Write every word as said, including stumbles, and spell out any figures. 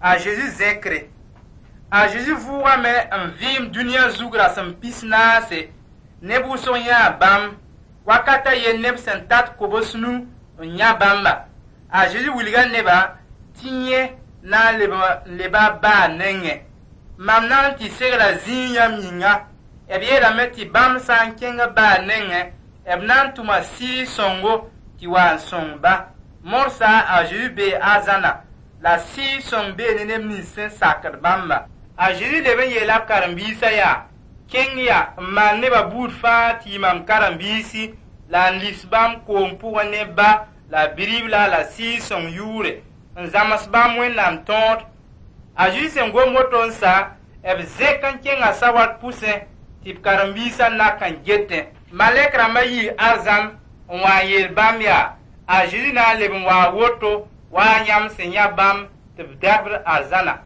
A Zezi zẽkre. A Zezi vʋʋgame n vɩɩm dũniyã zug rasem pis naase. Neb wʋsg yãa bãmb. Wakat a yen neb sẽn tat kobs-nu n yã bãmba. A Zezi wilga nebã tɩ yẽ na n leb n leba a baa nengẽ. Mam na n tɩ segla zĩig yãmb yĩnga. B yeelame tɩ bãmb sã n kẽng b baa nengẽ, b na n tʋma Sɩɩg-sõngo tɩ wa n sõng-ba. Morsã a Zezi bee arzãna la Sɩɩg-sõng bee ne neb nins sẽn sakd bãmba. A Zezi leb n yeela b karen-biisã yaa: kẽng ya n maan nebã buud fãa tɩ yɩ mam karen-biisi la n lis bãmb koom pʋgẽ ne ba la Bi-ribla la Sɩɩg-sõng yʋʋre n zãms bãmb Wẽnnaam tõod. A Zezi sẽn gom woto n sa, b zẽk n kẽnga sawat pʋsẽ tɩ b karen-biisã nak n getẽ. Malɛk rãmbã yii arzãn n wa n yeel bãmb yaa: a Zezi na n leb n waa woto wa yãmb sẽn yã bãmb tɩ b dɛbd arzãna.